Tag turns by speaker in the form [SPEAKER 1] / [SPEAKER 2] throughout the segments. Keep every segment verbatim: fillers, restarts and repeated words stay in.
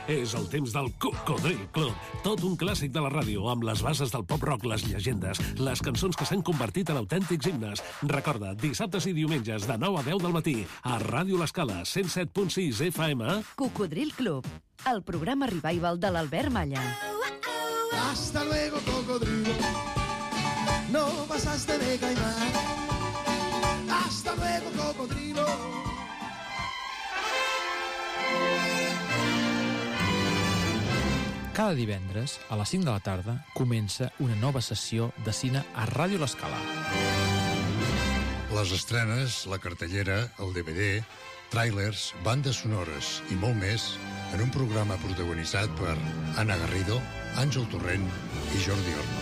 [SPEAKER 1] És el temps del Cocodril Club. Tot un clàssic de la ràdio, amb les bases del pop-rock, les llegendes, les cançons que s'han convertit en autèntics himnes. Recorda, dissabtes i diumenges de nou a deu del matí, a Ràdio L'Escala, cent set punt sis F M.
[SPEAKER 2] Cocodril Club, el programa revival de l'Albert Malla.
[SPEAKER 3] Hasta luego, cocodrilo. No pasaste de caimán. Hasta luego, cocodrilo.
[SPEAKER 4] Cada divendres, a les cinc de la tarda, comença una nova sessió de cine a Ràdio L'Escala.
[SPEAKER 5] Les estrenes, la cartellera, el D V D, tràilers, bandes sonores i molt més en un programa protagonitzat per Anna Garrido, Àngel Torrent i Jordi Orno.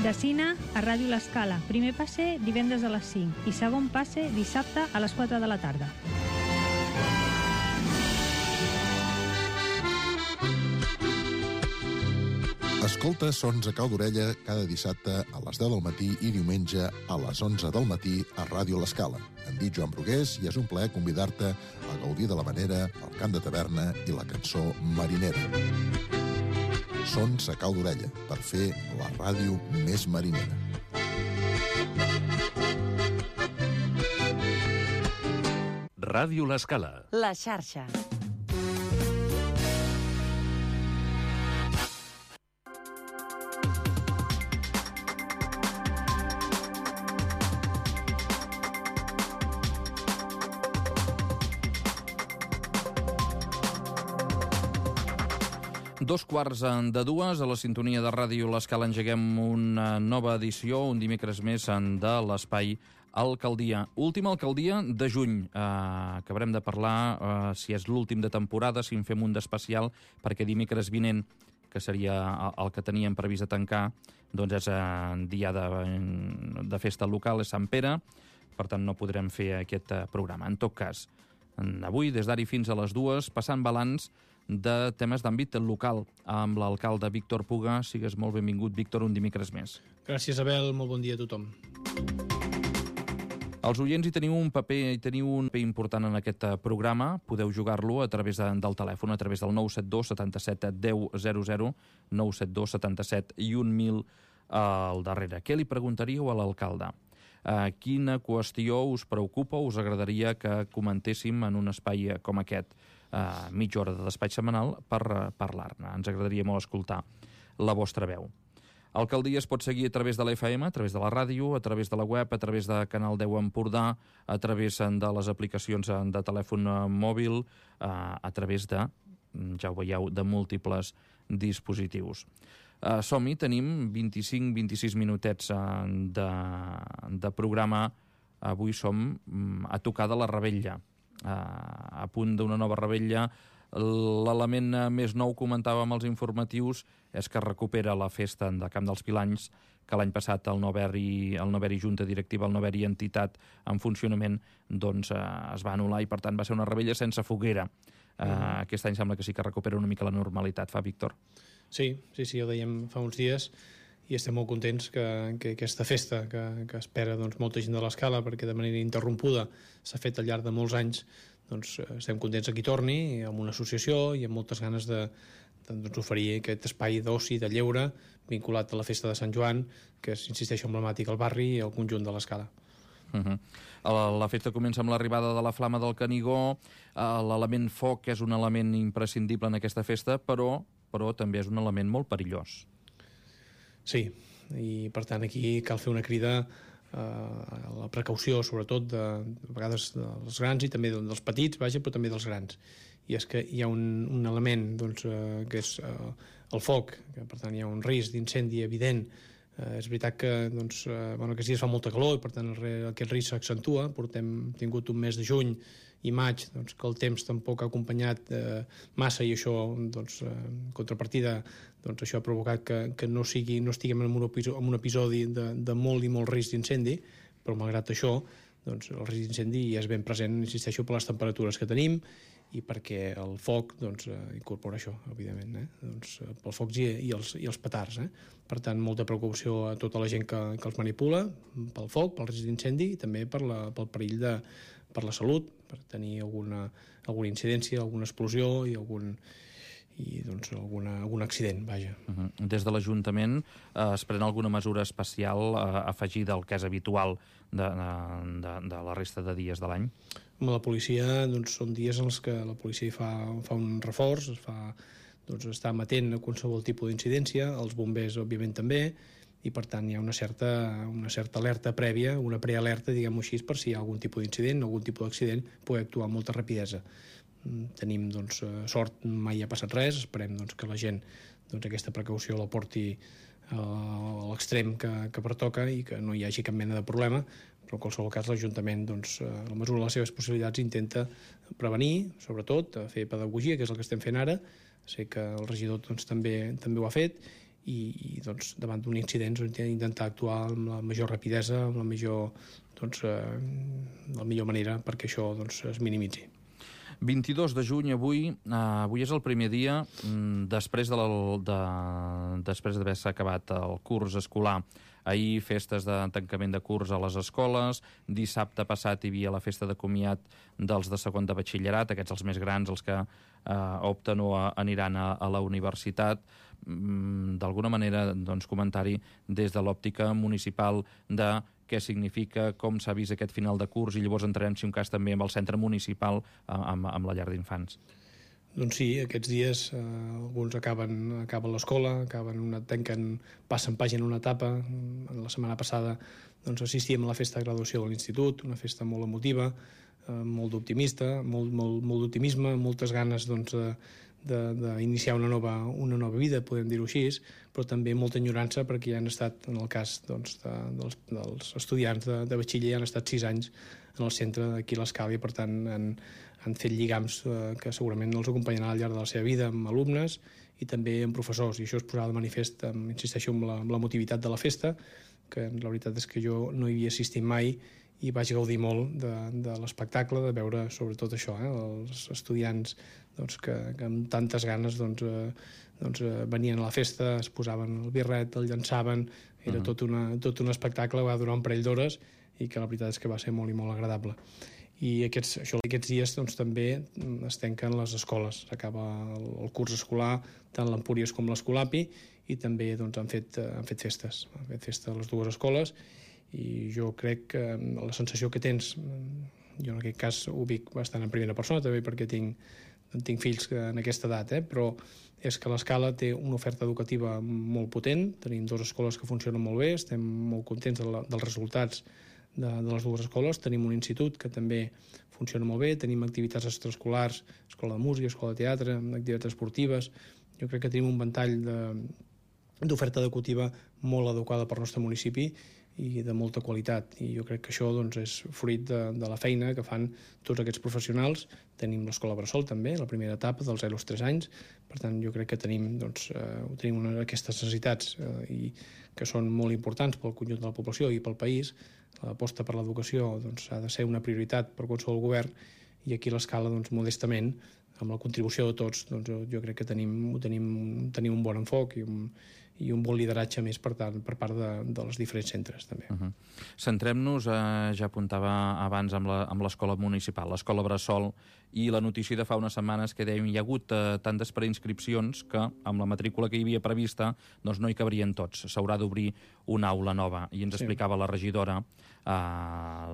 [SPEAKER 6] De cine a Ràdio L'Escala. Primer passe divendres a les cinc i segon passe dissabte a les quatre de la tarda.
[SPEAKER 7] Escolta Sons a cau d'orella cada dissabte a les deu del matí i diumenge a les onze del matí a Ràdio L'Escala. Em dic Joan Brugués i és un plaer convidar-te a gaudir de la manera, el cant de taverna i la cançó marinera. Sons a cau d'orella, per fer la ràdio més marinera.
[SPEAKER 1] Ràdio L'Escala.
[SPEAKER 2] La xarxa.
[SPEAKER 8] Dos quarts de dues, a la sintonia de Ràdio L'Escala engeguem una nova edició, un dimecres més de l'Espai Alcaldia. Última alcaldia de juny. Eh, acabarem de parlar eh, si és l'últim de temporada, si en fem un d'especial, perquè dimecres vinent, que seria el que teníem previst de tancar, doncs és eh, dia de, de festa local, és Sant Pere, per tant no podrem fer aquest programa. En tot cas, avui, des d'ara fins a les dues, passant balanç de temes d'àmbit local amb l'alcalde Víctor Puga. Sigues molt benvingut, Víctor, un dimecres més.
[SPEAKER 9] Gràcies, Abel. Molt bon dia a tothom.
[SPEAKER 8] Els oients hi teniu un paper hi teniu un paper important en aquest programa. Podeu jugar-lo a través de, del telèfon, a través del nou set dos setanta-set deu zero zero, nou set dos setanta-set i un mil al darrere. Què li preguntaríeu a l'alcalde? Uh, quina qüestió us preocupa o us agradaria que comentéssim en un espai com aquest? Uh, mitja hora de despatx setmanal per uh, parlar-ne. Ens agradaria molt escoltar la vostra veu. Alcaldia es pot seguir a través de l'F M, a través de la ràdio, a través de la web, a través de Canal deu Empordà, a través de les aplicacions de telèfon mòbil, uh, a través de, ja ho veieu, de múltiples dispositius. Uh, som-hi, tenim vint-i-cinc vint-i-sis minutets uh, de, de programa. Avui som um, a tocar de la Revetlla. Uh, a punt d'una nova revetlla. L'element més nou, comentàvem als informatius, és que recupera la festa de Camp dels Pilanys, que l'any passat el no haver-hi el no haver-hi junta directiva, el no haver-hi entitat en funcionament, doncs uh, es va anul·lar i per tant va ser una revetlla sense foguera. Uh, mm. Aquest any sembla que sí que recupera una mica la normalitat, fa Víctor?
[SPEAKER 9] Sí, sí, sí, ho dèiem fa uns dies i estem molt contents que, que aquesta festa que, que espera doncs, molta gent de l'Escala, perquè de manera interrompuda s'ha fet al llarg de molts anys, doncs estem contents que hi torni, amb una associació i amb moltes ganes de, de doncs, oferir aquest espai d'oci, de lleure, vinculat a la festa de Sant Joan, que és, insisteixo, emblemàtic al barri i al conjunt de l'Escala.
[SPEAKER 8] Uh-huh. La, la festa comença amb l'arribada de la Flama del Canigó. L'element foc és un element imprescindible en aquesta festa, però, però també és un element molt perillós.
[SPEAKER 9] Sí, i per tant aquí cal fer una crida eh, a la precaució, sobretot de, de vegades dels grans i també dels petits, vaja, però també dels grans. I és que hi ha un, un element doncs, eh, que és eh, el foc, que per tant hi ha un risc d'incendi evident. Eh, és veritat que doncs, eh, bueno, aquests dies fa molta calor i per tant el, aquest risc s'accentua. Portem tingut un mes de juny i maig doncs, que el temps tampoc ha acompanyat eh, massa i això, doncs, eh, contrapartida, doncs, això ha provocat que, que no, sigui, no estiguem en un episodi, en un episodi de, de molt i molt risc d'incendi, però malgrat això doncs, el risc d'incendi és ben present, insisteixo, per les temperatures que tenim i perquè el foc doncs, incorpora això, evidentment, eh? doncs, pel foc i, i, els, i els petards. Eh? Per tant, molta preocupació a tota la gent que, que els manipula, pel foc, pel risc d'incendi i també per la, pel perill de, per la salut, per tenir alguna, alguna incidència, alguna explosió i algun i doncs alguna, algun accident, vaja.
[SPEAKER 8] Uh-huh. Des de l'Ajuntament eh, es pren alguna mesura especial eh, afegida al que és habitual de, de, de la resta de dies de l'any?
[SPEAKER 9] Amb la policia doncs, són dies en els que la policia fa, fa un reforç, es fa, doncs, està amatent a qualsevol tipus d'incidència, els bombers òbviament també, i per tant hi ha una certa, una certa alerta prèvia, una prealerta, diguem-ho així, per si hi ha algun tipus d'incident, algun tipus d'accident, poder actuar amb molta rapidesa. Tenim doncs, sort, mai ha passat res, esperem doncs, que la gent doncs, aquesta precaució la porti a l'extrem que, que pertoca i que no hi hagi cap mena de problema, però en qualsevol cas l'Ajuntament, doncs, a la mesura de les seves possibilitats, intenta prevenir, sobretot, fer pedagogia, que és el que estem fent ara. Sé que el regidor doncs, també, també ho ha fet, i, i doncs, davant d'un incident doncs, intentar actuar amb la major rapidesa, amb la millor, doncs, eh, la millor manera perquè això doncs, es minimitzi.
[SPEAKER 8] vint-i-dos de juny, avui, eh, avui és el primer dia mm, després de, la, de després d'haver-se acabat el curs escolar. Ahir, festes de tancament de curs a les escoles, dissabte passat hi havia la festa de comiat dels de segon de batxillerat, aquests els més grans, els que eh, opten o aniran a, a la universitat. Mm, d'alguna manera, doncs, comentari des de l'òptica municipal de què significa, com s'ha vist aquest final de curs, i llavors entrarem, si un cas, també amb el centre municipal, amb, amb la llar d'infants.
[SPEAKER 9] Doncs sí, aquests dies eh, alguns acaben, acaben l'escola, acaben una, tanquen, passen pàgina una etapa. La setmana passada doncs, assistíem a la festa de graduació de l'institut, una festa molt emotiva, eh, molt d'optimista, molt, molt, molt d'optimisme, moltes ganes doncs, d'iniciar una, nova, una nova vida, podem dir-ho així, però també molta enyorança perquè ja han estat, en el cas doncs, de, dels, dels estudiants de, de batxiller, ja han estat sis anys en el centre d'aquí a l'Escala i per tant han, han fet lligams eh, que segurament els acompanyaran al llarg de la seva vida amb alumnes i també amb professors, i això es posava de manifest, amb, insisteixo, amb la, amb la motivitat de la festa, que la veritat és que jo no hi havia assistit mai i vaig gaudir molt de, de l'espectacle, de veure sobretot això, eh, els estudiants doncs, que, que amb tantes ganes doncs, eh, doncs, eh, venien a la festa, es posaven el birret, el llançaven, era uh-huh. tot, una, tot un espectacle, va durar un parell d'hores i que la veritat és que va ser molt i molt agradable. I aquests, això, aquests dies doncs, també es tanquen les escoles, s'acaba el, el curs escolar, tant l'Empúries com l'Escolapi, i també doncs, han, fet, han fet festes, han fet festa a les dues escoles, i jo crec que la sensació que tens, jo en aquest cas ho dic bastant en primera persona, també perquè tinc, tinc fills en aquesta edat, eh? Però és que l'Escala té una oferta educativa molt potent, tenim dues escoles que funcionen molt bé, estem molt contents de la, dels resultats de, de les dues escoles, tenim un institut que també funciona molt bé, tenim activitats extraescolars, escola de música, escola de teatre, activitats esportives, jo crec que tenim un ventall d'oferta educativa molt adequada per al nostre municipi i de molta qualitat, i jo crec que això doncs, és fruit de, de la feina que fan tots aquests professionals. Tenim l'escola Bressol també, la primera etapa dels zero als tres anys, per tant jo crec que tenim, doncs, eh, tenim una, aquestes necessitats eh, i que són molt importants pel conjunt de la població i pel país. L'aposta per l'educació doncs, ha de ser una prioritat per qualsevol govern, i aquí a l'Escala, doncs, modestament, amb la contribució de tots, doncs, jo, jo crec que tenim, tenim, tenim un bon enfoc i un, i un bon lideratge més per, tant, per part de, de les diferents centres també.
[SPEAKER 8] Uh-huh. Centrem-nos, eh, ja apuntava abans amb l'escola municipal, l'escola Bressol, i la notícia de fa unes setmanes que dèiem hi ha hagut eh, tantes preinscripcions que amb la matrícula que hi havia prevista doncs no hi cabrien tots, s'haurà d'obrir una aula nova, i ens sí. explicava la regidora, eh,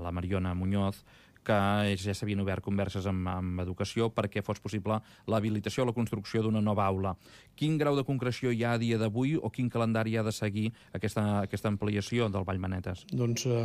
[SPEAKER 8] la Mariona Muñoz, que ja s'havien obert converses amb, amb educació perquè fos possible l'habilitació o la construcció d'una nova aula. Quin grau de concreció hi ha a dia d'avui o quin calendari ha de seguir aquesta, aquesta ampliació del Vallmanetes?
[SPEAKER 9] Doncs eh,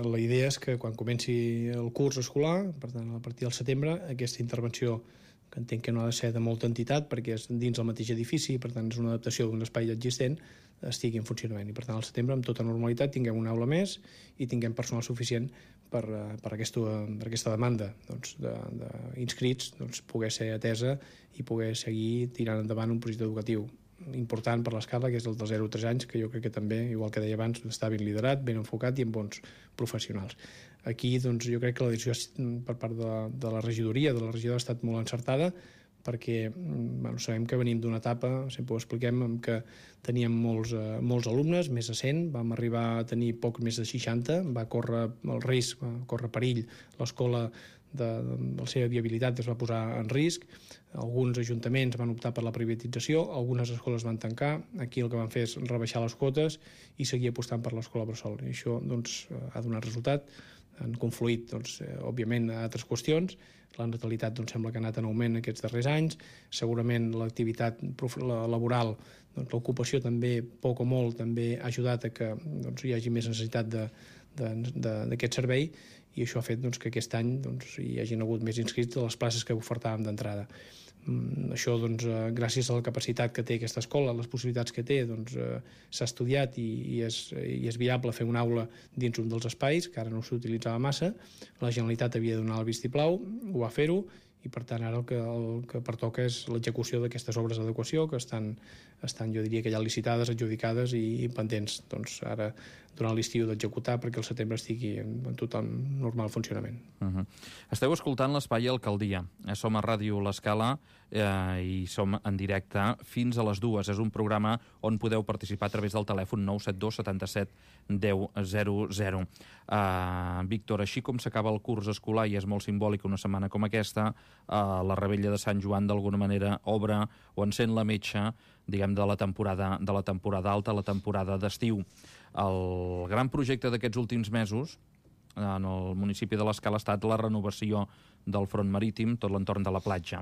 [SPEAKER 9] la idea és que quan comenci el curs escolar, per tant a partir del setembre, aquesta intervenció, que entenc que no ha de ser de molta entitat perquè és dins el mateix edifici, per tant és una adaptació d'un espai existent, estigui en funcionament, i per tant al setembre amb tota normalitat tinguem una aula més i tinguem personal suficient per, per, aquesta, per aquesta demanda doncs, d'inscrits doncs, poder ser atesa i poder seguir tirant endavant un projecte educatiu important per l'Escala, que és el dels zero a tres anys, que jo crec que també, igual que deia abans, està ben liderat, ben enfocat i amb bons professionals. Aquí doncs, jo crec que la decisió per part de, de la regidoria, de la regió, ha estat molt encertada, perquè bueno, sabem que venim d'una etapa, sempre ho expliquem, en què teníem molts, eh, molts alumnes, més de cent, vam arribar a tenir poc més de seixanta, va córrer el risc, va córrer perill, l'escola de, de la seva viabilitat es va posar en risc, alguns ajuntaments van optar per la privatització, algunes escoles van tancar, aquí el que van fer és rebaixar les quotes i seguir apostant per l'escola bressol, i això doncs, ha donat resultat, han confluït, doncs, eh, òbviament, a altres qüestions. La natalitat doncs, sembla que ha anat en augment aquests darrers anys. Segurament l'activitat laboral, doncs, l'ocupació també, poc o molt, també ha ajudat a que doncs, hi hagi més necessitat d'aquest servei, i això ha fet doncs, que aquest any doncs, hi hagin hagut més inscrits de les places que ofertàvem d'entrada. Mm, això, doncs, eh, gràcies a la capacitat que té aquesta escola, les possibilitats que té, doncs, eh, s'ha estudiat i, i, és, i és viable fer una aula dins un dels espais, que ara no s'utilitzava massa. La Generalitat havia de donar el vistiplau, ho va fer-ho, i per tant ara el que, el que pertoca és l'execució d'aquestes obres d'adequació que estan, estan, jo diria que ja licitades, adjudicades i, i pendents. Doncs ara, durant l'estiu, d'executar perquè el setembre estigui en, en total normal funcionament.
[SPEAKER 8] Uh-huh. Esteu escoltant l'Espai Alcaldia. Som a Ràdio L'Escala eh, i som en directe fins a les dues. És un programa on podeu participar a través del telèfon nou set dos setanta-set deu zero zero. Uh, Víctor, així com s'acaba el curs escolar i és molt simbòlic una setmana com aquesta, uh, la Revetlla de Sant Joan d'alguna manera obre o encén la metxa, diguem, de la temporada, de la temporada alta, la temporada d'estiu. El gran projecte d'aquests últims mesos en el municipi de l'Escala ha estat la renovació del front marítim, tot l'entorn de la platja.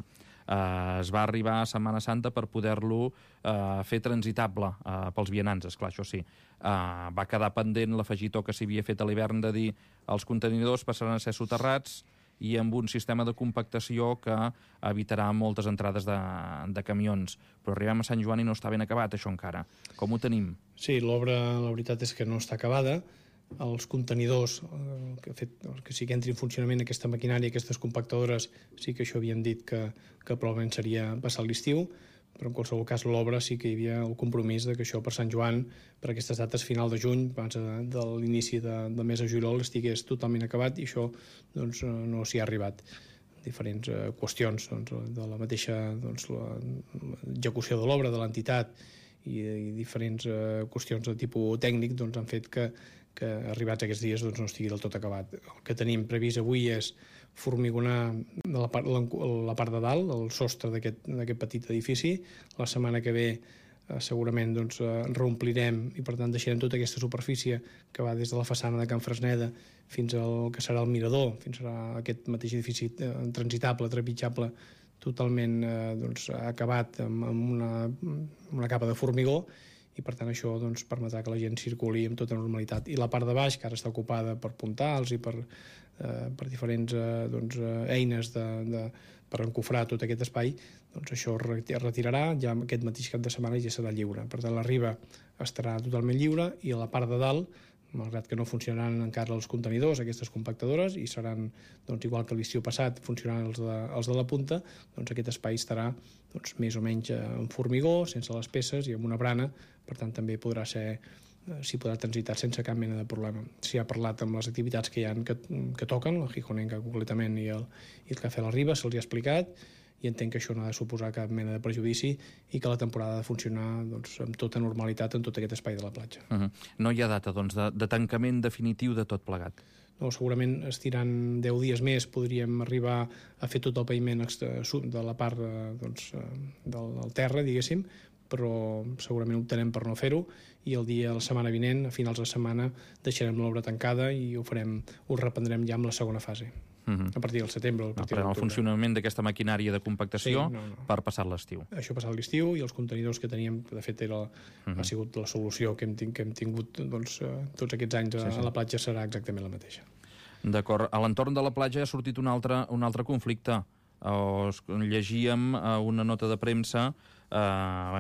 [SPEAKER 8] Eh, es va arribar a Setmana Santa per poder-lo eh, fer transitable eh, pels vianants, esclar, això sí. Eh, va quedar pendent l'afegitó que s'havia fet a l'hivern de dir els contenidors passaran a ser soterrats i amb un sistema de compactació que evitarà moltes entrades de, de camions. Però arribem a Sant Joan i no està ben acabat, això encara. Com ho tenim?
[SPEAKER 9] Sí, l'obra, la veritat és que no està acabada. Els contenidors, eh, que, fet, que sí que entri en funcionament aquesta maquinària, aquestes compactadores, sí que això havíem dit que, que probablement seria passar l'estiu, però en qualsevol cas l'obra sí que hi havia el compromís de que això per Sant Joan, per aquestes dates final de juny, abans de l'inici de, del mes de juliol, estigués totalment acabat, i això doncs, no s'hi ha arribat. Diferents eh, qüestions doncs, de la mateixa doncs, l'execució de l'obra, de l'entitat, i, i diferents eh, qüestions de tipus tècnic doncs, han fet que, que arribats aquests dies doncs, no estigui del tot acabat. El que tenim previst avui és formigonar la part, la, la part de dalt, el sostre d'aquest petit edifici. La setmana que ve eh, segurament doncs, eh, reomplirem i per tant deixarem tota aquesta superfície que va des de la façana de Can Fresneda fins al que serà el mirador, fins a aquest mateix edifici eh, transitable, trepitjable, totalment eh, doncs, acabat amb, amb una, una capa de formigó, i per tant això doncs, permetrà que la gent circuli amb tota normalitat. I la part de baix, que ara està ocupada per puntals i per, eh, per diferents eh, doncs, eines de, de, per encofrar tot aquest espai, doncs això es retirarà, ja aquest mateix cap de setmana ja serà lliure. Per tant, la riba estarà totalment lliure i a la part de dalt, malgrat que no funcionaran encara els contenidors, aquestes compactadores, i seran, doncs, igual que l'estiu passat, funcionaran els de, els de la punta, doncs aquest espai estarà doncs, més o menys en formigó, sense les peces i amb una brana, per tant també podrà ser, s'hi podrà transitar sense cap mena de problema. S'hi ha parlat amb les activitats que hi ha que, que toquen, la Gijonenca concretament i el, i el Cafè La Riba, se'ls ha explicat, i entenc que això no ha de suposar cap mena de prejudici i que la temporada ha de funcionar doncs, amb tota normalitat en tot aquest espai de la platja.
[SPEAKER 8] Uh-huh. No hi ha data doncs, de, de tancament definitiu de tot plegat?
[SPEAKER 9] No, segurament estirant deu dies més podríem arribar a fer tot el paviment de la part doncs, del, del terra, diguéssim, però segurament optarem per no fer-ho i el dia, la setmana vinent, a finals de setmana, deixarem l'obra tancada i ho farem, ho reprendrem ja amb la segona fase. Uh-huh. A partir del setembre. A partir
[SPEAKER 8] no, el funcionament d'aquesta maquinària de compactació sí, no, no. per passar l'estiu.
[SPEAKER 9] Això passat l'estiu i els contenidors que teníem, que de fet era, uh-huh. ha sigut la solució que hem, que hem tingut doncs, tots aquests anys a, sí, sí. a la platja serà exactament la mateixa.
[SPEAKER 8] D'acord. A l'entorn de la platja ha sortit un altre, un altre conflicte. Os, llegíem una nota de premsa, eh,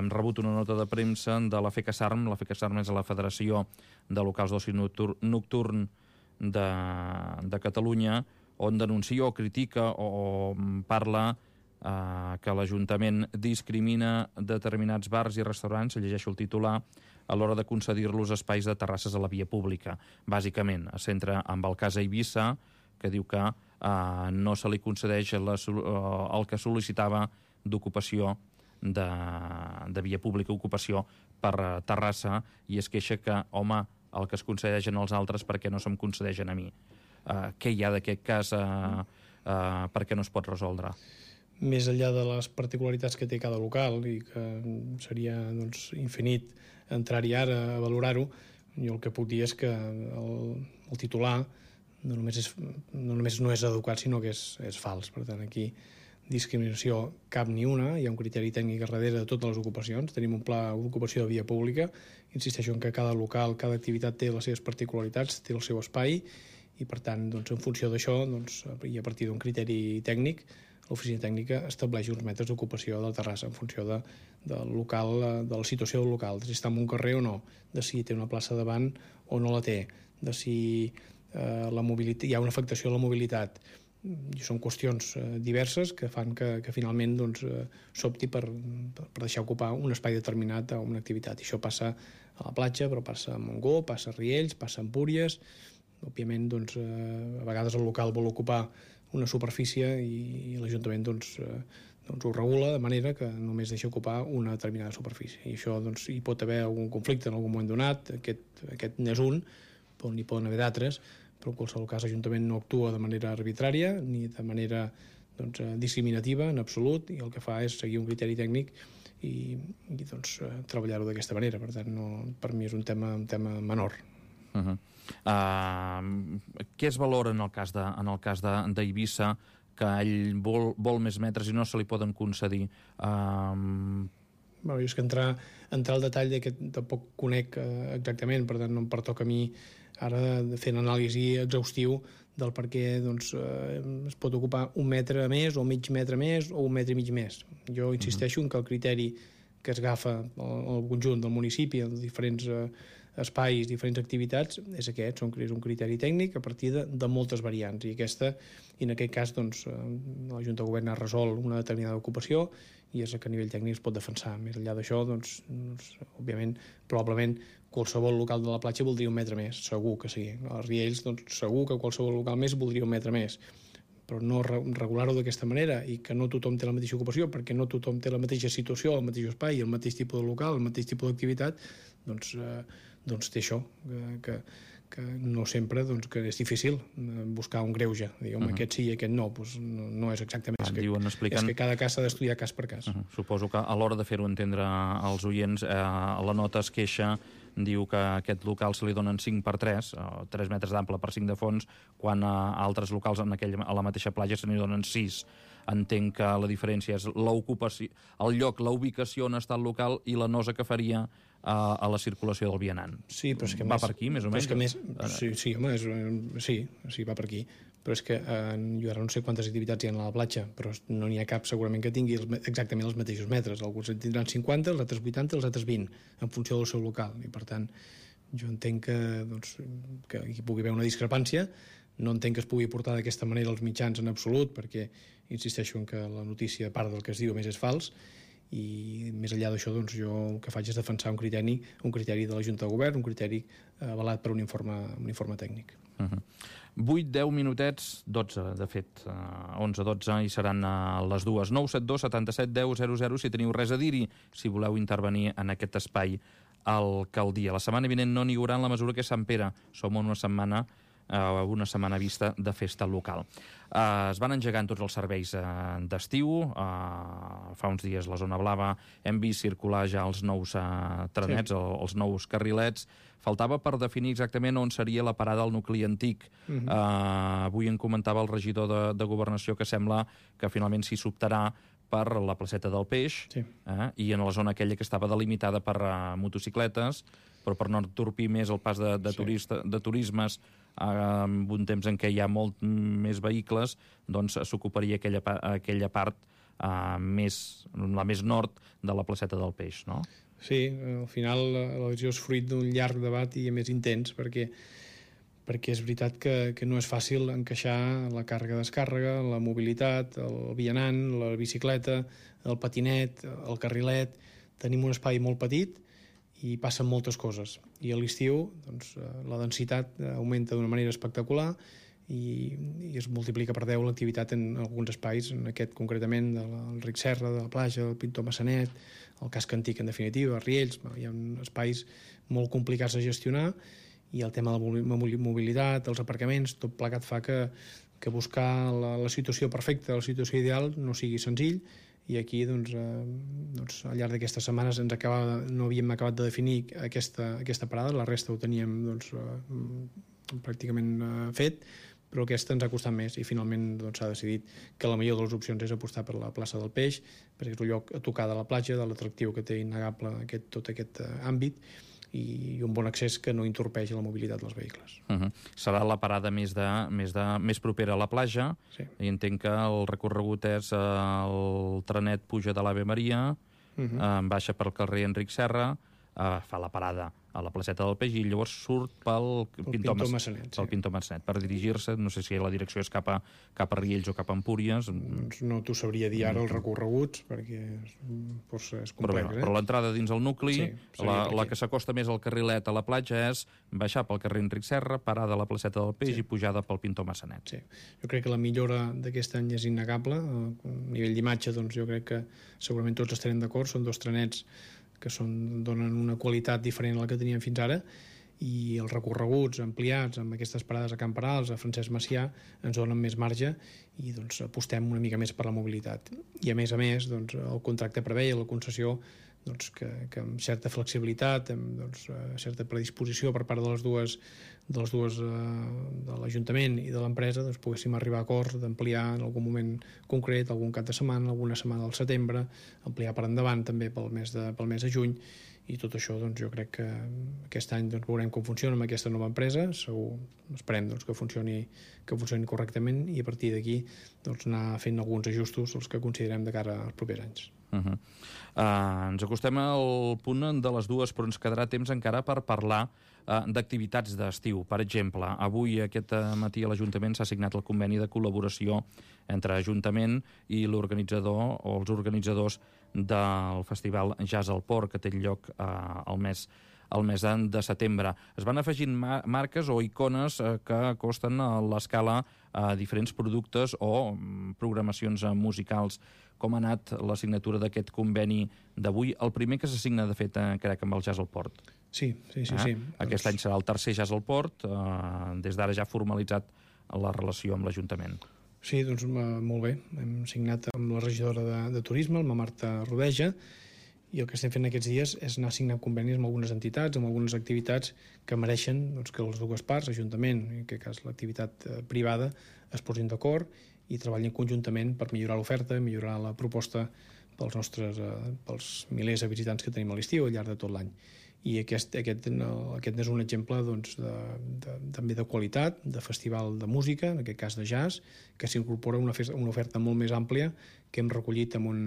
[SPEAKER 8] hem rebut una nota de premsa de la FECASARM. La FECASARM és la Federació de Locals d'Oci Nocturn de, de Catalunya, on denuncia o critica o, o parla eh, que l'Ajuntament discrimina determinats bars i restaurants, llegeixo el titular, a l'hora de concedir-los espais de terrasses a la via pública. Bàsicament, es centra amb el cas Eivissa, que diu que eh, no se li concedeix la, el que sol·licitava d'ocupació de, de via pública, ocupació per Terrassa, i es queixa que, home, el que es concedeixen als altres perquè no se'm concedeixen a mi. Uh, què hi ha d'aquest cas? Uh, uh, per què no es pot resoldre?
[SPEAKER 9] Més enllà de les particularitats que té cada local, i que seria doncs, infinit entrar-hi ara a valorar-ho, jo el que puc dir és que el, el titular no només, és, no només no és educat, sinó que és, és fals. Per tant, aquí discriminació cap ni una, hi ha un criteri tècnic darrere de totes les ocupacions, tenim un pla d'ocupació de via pública, insisteixo en que cada local, cada activitat té les seves particularitats, té el seu espai, i per tant, doncs, en funció d'això, doncs, i a partir d'un criteri tècnic, l'oficina tècnica estableix uns metres d'ocupació de la terrassa en funció de, del local, de la situació del local, de si està en un carrer o no, de si té una plaça davant o no la té, de si eh, la mobilitat, hi ha una afectació a la mobilitat. I són qüestions eh, diverses que fan que, que finalment doncs, eh, s'opti per, per deixar ocupar un espai determinat a una activitat. I això passa a la platja, però passa a Montgó, passa a Riells, passa a Empúries. Òbviament, doncs, eh, a vegades el local vol ocupar una superfície i, i l'Ajuntament doncs, eh, doncs ho regula de manera que només deixa ocupar una determinada superfície. I això doncs, hi pot haver algun conflicte en algun moment donat, aquest, aquest n'és un, però n'hi poden haver d'altres, però en qualsevol cas l'Ajuntament no actua de manera arbitrària ni de manera doncs, discriminativa en absolut, i el que fa és seguir un criteri tècnic i, i doncs, treballar-ho d'aquesta manera. Per tant, no, per mi és un tema, un tema menor.
[SPEAKER 8] Uh-huh. Uh, què es valora en el cas de, en el cas de, d'Eivissa, que ell vol, vol més metres i no se li poden concedir? Uh...
[SPEAKER 9] Bueno, jo és que entrar, entrar al detall d'aquest tampoc conec uh, exactament, per tant no em pertoca a mi ara fer l'anàlisi exhaustiu del per què doncs, uh, es pot ocupar un metre més o mig metre més o un metre i mig més. Jo insisteixo uh-huh. en que el criteri que es agafa al conjunt del municipi, els diferents uh, espais, diferents activitats, és aquest, són, és un criteri tècnic a partir de, de moltes variants, i aquesta, i en aquest cas, doncs, la Junta de Govern ha resolt una determinada ocupació i és que a nivell tècnic es pot defensar. Més enllà d'això, doncs, doncs, òbviament, probablement qualsevol local de la platja voldria un metre més, segur que sí. A Riells, doncs, segur que qualsevol local més voldria un metre més, però no regular-ho d'aquesta manera i que no tothom té la mateixa ocupació, perquè no tothom té la mateixa situació, el mateix espai, el mateix tipus de local, el mateix tipus d'activitat, doncs, eh, doncs té això, que, que no sempre doncs, que és difícil buscar un greuge. Dir, home, uh-huh. aquest sí i aquest no, doncs no, no és exactament. És que,
[SPEAKER 8] diuen, expliquen...
[SPEAKER 9] és que cada cas s'ha d'estudiar cas per cas.
[SPEAKER 8] Uh-huh. Suposo que a l'hora de fer-ho entendre als oients, eh, la nota es queixa, diu que a aquest local se li donen cinc per tres, o tres metres d'ample per cinc de fons, quan a altres locals en aquell, a la mateixa platja se n'hi donen sis. Entenc que la diferència és l'ocupació, el lloc, la ubicació on està el local i la nosa que faria a, a la circulació del vianant.
[SPEAKER 9] Sí, però és que
[SPEAKER 8] va
[SPEAKER 9] més,
[SPEAKER 8] per aquí, més o menys?
[SPEAKER 9] És que més, sí, sí, home, és, sí, sí, va per aquí. Però és que eh, jo ara no sé quantes activitats hi ha a la platja, però no n'hi ha cap segurament que tingui els, exactament els mateixos metres. Alguns en tindran cinquanta, els altres vuitanta, els altres vint, en funció del seu local. I per tant, jo entenc que, doncs, que hi pugui haver una discrepància. No entenc que es pugui portar d'aquesta manera als mitjans en absolut, perquè insisteixo en que la notícia, a part del que es diu, més és fals, i més enllà d'això, doncs, jo el que faig és defensar un criteri, un criteri de la Junta de Govern, un criteri avalat per un informe, un informe tècnic.
[SPEAKER 8] Uh-huh. vuit, deu minutets, dotze, de fet, uh, onze, dotze, i seran uh, les dues. nou set dos setanta set deu zero zero si teniu res a dir-hi, si voleu intervenir en aquest espai alcaldia. La setmana vinent no n'hi haurà en la mesura que és Sant Pere. Som una setmana Uh, una setmana vista de festa local. Uh, es van engegant tots els serveis uh, d'estiu. Uh, fa uns dies la zona blava hem vist circular ja els nous uh, trenets, sí. el, els nous carrilets. Faltava per definir exactament on seria la parada al nucli antic. Uh-huh. uh, avui en comentava el regidor de, de Governació que sembla que finalment s'hi s'optarà per la placeta del Peix, sí. eh, i en la zona aquella que estava delimitada per uh, motocicletes, però per no entorpir més el pas de, de, turista, sí. de turismes uh, en un temps en què hi ha molt més vehicles, doncs s'ocuparia aquella, aquella part uh, més, la més nord de la placeta del Peix, no?
[SPEAKER 9] Sí, al final la decisió és fruit d'un llarg debat i més intens, perquè perquè és veritat que, que no és fàcil encaixar la càrrega-descàrrega, la mobilitat, el vianant, la bicicleta, el patinet, el carrilet. Tenim un espai molt petit i passen moltes coses. I a l'estiu doncs, la densitat augmenta d'una manera espectacular i, i es multiplica per deu l'activitat en alguns espais, en aquest concretament del Ric Serra, de la platja, el Pintor Massanet, el Casc Antic, en definitiva, Riells. Hi ha espais molt complicats de gestionar, i el tema de la mobilitat, els aparcaments, tot plegat fa que, que buscar la, la situació perfecta, la situació ideal, no sigui senzill, i aquí, doncs, eh, doncs al llarg d'aquestes setmanes ens acaba, no havíem acabat de definir aquesta, aquesta parada, la resta ho teníem doncs, eh, pràcticament eh, fet, però aquesta ens ha costat més, i finalment doncs, s'ha decidit que la millor de les opcions és apostar per la plaça del Peix, perquè és un lloc a tocar de la platja, de l'atractiu que té innegable aquest, tot aquest eh, àmbit, i un bon accés que no entorpeix la mobilitat dels vehicles.
[SPEAKER 8] Uh-huh. Serà la parada més, de, més, de, més propera a la platja, sí. I entenc que el recorregut és el trenet puja de l'Ave Maria, uh-huh. eh, baixa pel carrer Enric Serra, eh, fa la parada a la placeta del Peix i llavors surt pel Pintor,
[SPEAKER 9] Pintor Massanet,
[SPEAKER 8] pel sí. Pintor Massanet per dirigir-se, no sé si la direcció és cap a, cap a Riells o cap a Empúries.
[SPEAKER 9] Doncs no t'ho sabria dir ara els recorreguts, perquè força és complex.
[SPEAKER 8] Però,
[SPEAKER 9] eh?
[SPEAKER 8] però l'entrada dins el nucli, sí, la,
[SPEAKER 9] perquè...
[SPEAKER 8] la que s'acosta més al carrilet a la platja és baixar pel carrer Enric Serra, parada a la placeta del Peix sí. I pujada pel Pintor Massanet.
[SPEAKER 9] Sí. Jo crec que la millora d'aquest any és innegable. A nivell d'imatge, doncs, jo crec que segurament tots estarem d'acord. Són dos trenets que són, donen una qualitat diferent a la que teníem fins ara, i els recorreguts ampliats amb aquestes parades a Camp Perals, a Francesc Macià, ens donen més marge i doncs, apostem una mica més per la mobilitat. I a més a més, doncs, el contracte preveia la concessió doncs, que, que amb certa flexibilitat, amb doncs, certa predisposició per part de les dues, de, les dues eh, de l'Ajuntament i de l'empresa, doncs, poguéssim arribar a acords d'ampliar en algun moment concret, algun cap de setmana, alguna setmana del setembre, ampliar per endavant també pel mes de, pel mes de juny, i tot això doncs, jo crec que aquest any doncs, veurem com funciona amb aquesta nova empresa, segur, esperem doncs, que, funcioni, que funcioni correctament, i a partir d'aquí doncs, anar fent alguns ajustos els que considerem de cara als propers anys.
[SPEAKER 8] Uh-huh. Uh, ens acostem al punt de les dues, però ens quedarà temps encara per parlar uh, d'activitats d'estiu. Per exemple, avui, aquest matí, a l'Ajuntament s'ha signat el conveni de col·laboració entre Ajuntament i l'organitzador o els organitzadors del Festival Jazz al Port, que té lloc uh, al mes al mes de setembre. Es van afegint mar marques o icones eh, que acosten a l'escala a diferents productes o mm, programacions eh, musicals. Com ha anat la signatura d'aquest conveni d'avui? El primer que s'assigna, de fet, eh, crec, amb el Jazz al Port.
[SPEAKER 9] Sí, sí, sí.
[SPEAKER 8] Eh?
[SPEAKER 9] sí.
[SPEAKER 8] Aquest
[SPEAKER 9] doncs...
[SPEAKER 8] any serà el tercer Jazz al Port, eh, des d'ara ja formalitzat la relació amb l'Ajuntament.
[SPEAKER 9] Sí, doncs molt bé. Hem signat amb la regidora de, de Turisme, la Marta Rodeja, i el que estem fent aquests dies és anar signant convenis amb algunes entitats, amb algunes activitats que mereixen doncs, que les dues parts, Ajuntament, en aquest cas l'activitat eh, privada, es posin d'acord i treballin conjuntament per millorar l'oferta, millorar la proposta pels nostres eh, pels milers de visitants que tenim a l'estiu al llarg de tot l'any. I aquest, aquest, no, aquest és un exemple doncs, de, de, també de qualitat, de festival de música, en aquest cas de jazz, que s'incorpora una, una oferta molt més àmplia que hem recollit amb un,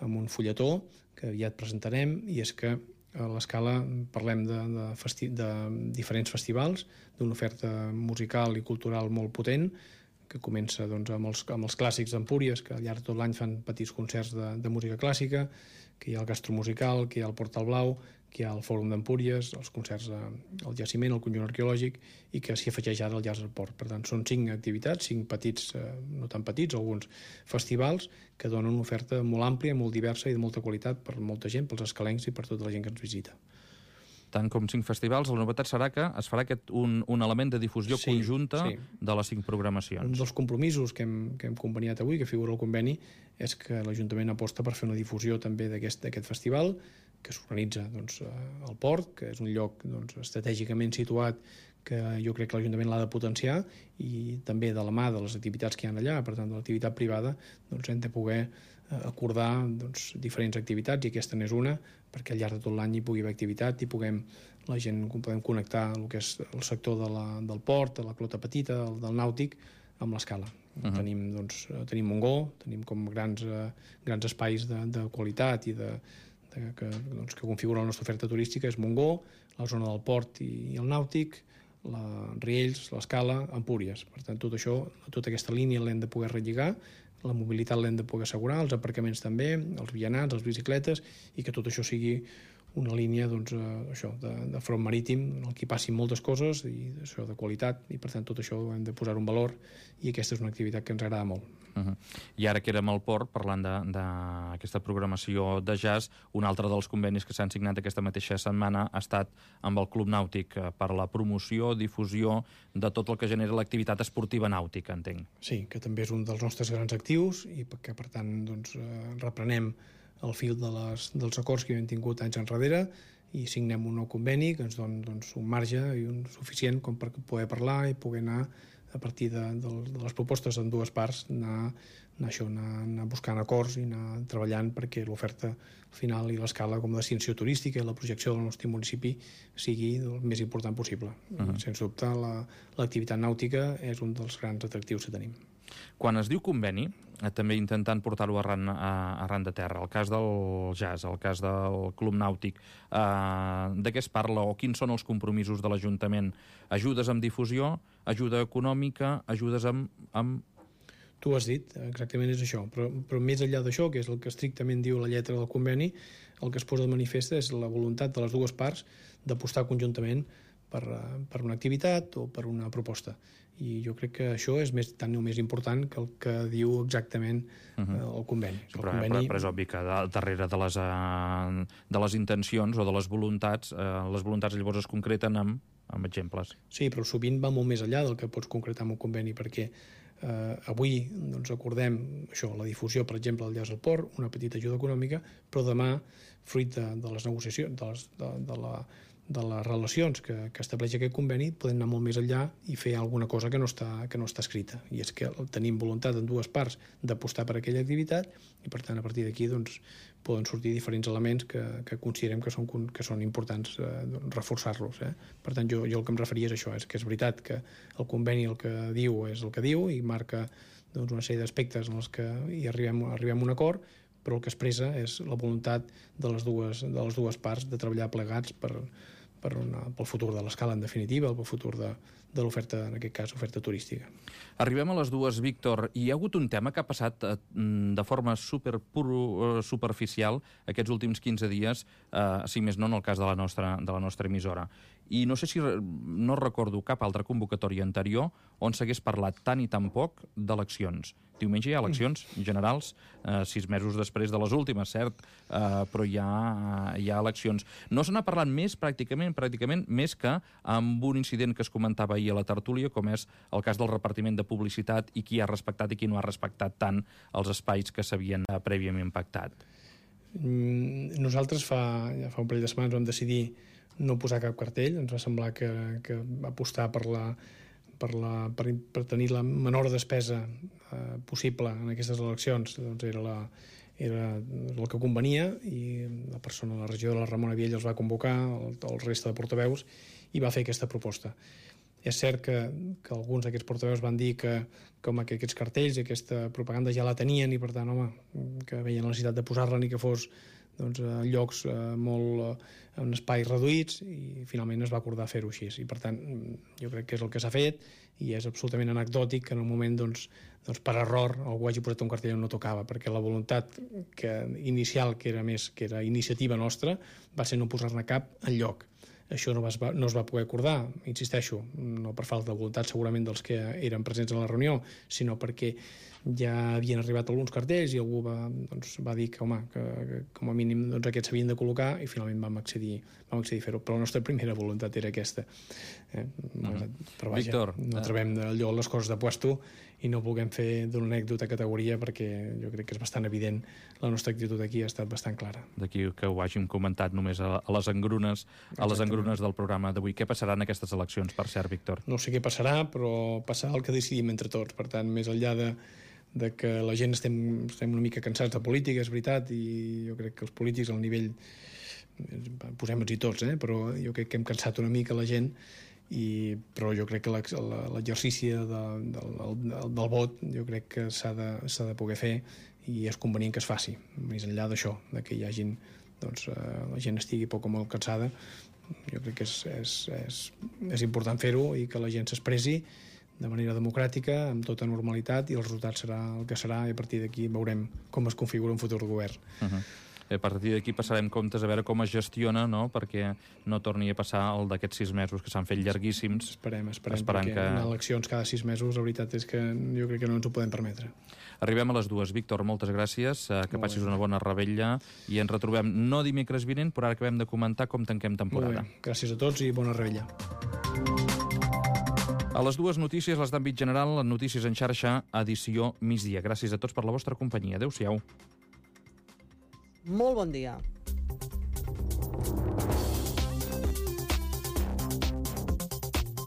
[SPEAKER 9] amb un fulletó que aviat presentarem, i és que a l'Escala parlem de, de, festi de diferents festivals, d'una oferta musical i cultural molt potent, que comença doncs, amb, els, amb els clàssics d'Empúries, que al llarg de tot l'any fan petits concerts de, de música clàssica, que hi ha el gastromusical, que hi ha el Portal Blau, que hi ha el Fòrum d'Empúries, els concerts al Jaciment, el Conjunt Arqueològic, i que s'hi afegeix ara el Jazz al Port. Per tant, són cinc activitats, cinc petits, eh, no tan petits, alguns festivals, que donen una oferta molt àmplia, molt diversa i de molta qualitat per molta gent, pels escalencs i per tota la gent que ens visita.
[SPEAKER 8] Tant com cinc festivals, la novetat serà que es farà aquest un, un element de difusió sí, conjunta sí. de les cinc programacions.
[SPEAKER 9] Un dels compromisos que hem, que hem conveniat avui, que figura al conveni, és que l'Ajuntament aposta per fer una difusió també d'aquest festival, que s'organitza doncs, al Port, que és un lloc doncs, estratègicament situat que jo crec que l'Ajuntament l'ha de potenciar, i també de la mà de les activitats que hi ha allà, per tant, de l'activitat privada, doncs hem de poder acordar doncs, diferents activitats, i aquesta n'és una, perquè al llarg de tot l'any hi pugui haver activitat i puguem, la gent podem connectar el que és el sector de la, del port, de la clota petita, del, del nàutic, amb l'Escala. Uh-huh. Tenim, doncs, tenim Montgó, tenim com grans, eh, grans espais de, de qualitat i de, de, que, doncs, que configura la nostra oferta turística, és Montgó, la zona del port i, i el nàutic, la Riells, l'Escala, Empúries. Per tant, tot això, tota aquesta línia l'hem de poder relligar, la mobilitat l'hem de poder assegurar, els aparcaments també, els vianants, les bicicletes, i que tot això sigui una línia doncs, eh, això, de, de front marítim en el que hi passin moltes coses i això de qualitat, i per tant tot això hem de posar un valor, i aquesta és una activitat que ens agrada molt.
[SPEAKER 8] Uh -huh. I ara que érem al port, parlant d'aquesta programació de jazz, un altre dels convenis que s'han signat aquesta mateixa setmana ha estat amb el Club Nàutic per la promoció, difusió de tot el que genera l'activitat esportiva nàutica, entenc.
[SPEAKER 9] Sí, que també és un dels nostres grans actius i que per tant doncs, eh, reprenem el fil de les, dels acords que hem tingut anys enrere i signem un nou conveni que ens dona doncs, un marge i un suficient com per poder parlar i poder anar a partir de, de, de les propostes en dues parts, anar, anar, això, anar, anar buscant acords i anar treballant perquè l'oferta final i l'escala com a destinació turística i la projecció del nostre municipi sigui el més important possible. Uh-huh. Sens dubte, la, l'activitat nàutica és un dels grans atractius que tenim.
[SPEAKER 8] Quan es diu conveni, eh, també intentant portar-ho arran, a, arran de terra, el cas del jazz, el cas del Club Nàutic, eh, de què es parla o quins són els compromisos de l'Ajuntament? Ajudes amb difusió, ajuda econòmica, ajudes amb... amb...
[SPEAKER 9] Tu has dit, exactament és això, però, però més enllà d'això, que és el que estrictament diu la lletra del conveni, el que es posa de manifest és la voluntat de les dues parts d'apostar conjuntament per, per una activitat o per una proposta. I jo crec que això és més, tant o més important que el que diu exactament uh -huh. el conveni. El
[SPEAKER 8] però,
[SPEAKER 9] conveni...
[SPEAKER 8] Però, però és obvi que darrere de les, uh, de les intencions o de les voluntats, uh, les voluntats llavors es concreten amb, amb exemples.
[SPEAKER 9] Sí, però sovint va molt més enllà del que pots concretar amb un conveni, perquè eh, avui doncs, acordem això, la difusió, per exemple, del jazz al port, una petita ajuda econòmica, però demà, fruit de, de les negociacions, de, les, de, de la de les relacions que, que estableix aquest conveni, podem anar molt més enllà i fer alguna cosa que no està, que no està escrita. I és que tenim voluntat en dues parts d'apostar per aquella activitat i, per tant, a partir d'aquí doncs, poden sortir diferents elements que, que considerem que són, que són importants eh, doncs, reforçar-los. Eh? Per tant, jo, jo el que em referia és això, és que és veritat que el conveni el que diu és el que diu i marca doncs, una sèrie d'aspectes en els que hi arribem, arribem a un acord, però el que expressa és la voluntat de les dues, de les dues parts de treballar plegats per per una, pel futur de l'escala, en definitiva, pel futur de, de l'oferta, en aquest cas, oferta turística.
[SPEAKER 8] Arribem a les dues, Víctor. Hi ha hagut un tema que ha passat eh, de forma super puro, superficial aquests últims quinze dies, eh, si més no en el cas de la nostra, de la nostra emissora. I no sé si no recordo cap altra convocatòria anterior on s'hagués parlat tant i tan poc d'eleccions. Diumenge hi ha eleccions generals, eh, sis mesos després de les últimes, cert, eh, però hi ha, hi ha eleccions. No se n'ha parlat més, pràcticament, pràcticament, més que amb un incident que es comentava ahir a la tertúlia, com és el cas del repartiment de publicitat i qui ha respectat i qui no ha respectat tant els espais que s'havien eh, prèviament pactat.
[SPEAKER 9] Nosaltres fa, ja fa un parell de setmanes vam decidir no posar cap cartell. Ens va semblar que, que apostar per la Per, la, per, per tenir la menor despesa eh, possible en aquestes eleccions doncs era, la, era el que convenia, i la persona de la regió de la Ramona Viella els va convocar, el, el resta de portaveus, i va fer aquesta proposta. És cert que, que alguns d'aquests portaveus van dir que, que, home, que aquests cartells i aquesta propaganda ja la tenien i per tant home, que veien la necessitat de posar-la ni que fos doncs, a llocs eh, molt eh, en espais reduïts, i finalment es va acordar fer-ho així. I per tant, jo crec que és el que s'ha fet i és absolutament anecdòtic que en un moment doncs, doncs per error algú hagi posat un cartell on no tocava, perquè la voluntat que, inicial, que era més que era iniciativa nostra, va ser no posar-ne cap enlloc. Això no, va, no es va poder acordar, insisteixo, no per falta de voluntat segurament dels que eren presents a la reunió, sinó perquè ja havien arribat alguns cartells i algú va, doncs, va dir que, home, que, que com a mínim doncs, aquests s'havien de col·locar, i finalment vam accedir, vam accedir a fer-ho. Però la nostra primera voluntat era aquesta. Eh? Uh-huh. Però vaja,
[SPEAKER 8] Víctor,
[SPEAKER 9] no trobem allò les coses de puesto i no vulguem fer d'una anècdota categoria, perquè jo crec que és bastant evident, la nostra actitud aquí ha estat bastant clara.
[SPEAKER 8] D'aquí que ho hàgim comentat només a, a les engrunes, a les engrunes del programa d'avui. Què passarà en aquestes eleccions, per cert, Víctor?
[SPEAKER 9] No sé què passarà, però passarà el que decidim entre tots. Per tant, més enllà de de que la gent estem, estem una mica cansats de política, és veritat, i jo crec que els polítics al nivell, posem-nos-hi tots, eh? Però jo crec que hem cansat una mica la gent, i, però jo crec que l'exercici de, de, del, del vot jo crec que s'ha de, s'ha de poder fer, i és convenient que es faci, més enllà d'això, de que hi hagin, doncs, la gent estigui poc o molt cansada. Jo crec que és, és, és, és important fer-ho i que la gent s'expressi de manera democràtica, amb tota normalitat, i el resultat serà el que serà, i a partir d'aquí veurem com es configura un futur govern.
[SPEAKER 8] Uh-huh. A partir d'aquí passarem comptes a veure com es gestiona, no?, perquè no torni a passar el d'aquests sis mesos que s'han fet llarguíssims.
[SPEAKER 9] Esperem, esperem, perquè que... en eleccions cada sis mesos la veritat és que jo crec que no ens ho podem permetre.
[SPEAKER 8] Arribem a les dues. Víctor, moltes gràcies, que passis una bona revetlla i ens retrobem no dimecres vinent, però ara acabem de comentar com tanquem temporada.
[SPEAKER 9] Molt bé, gràcies a tots i bona revetlla.
[SPEAKER 8] A les dues notícies, les d'àmbit general, notícies en xarxa, edició migdia. Gràcies a tots per la vostra companyia. Adéu-siau.
[SPEAKER 10] Molt bon dia.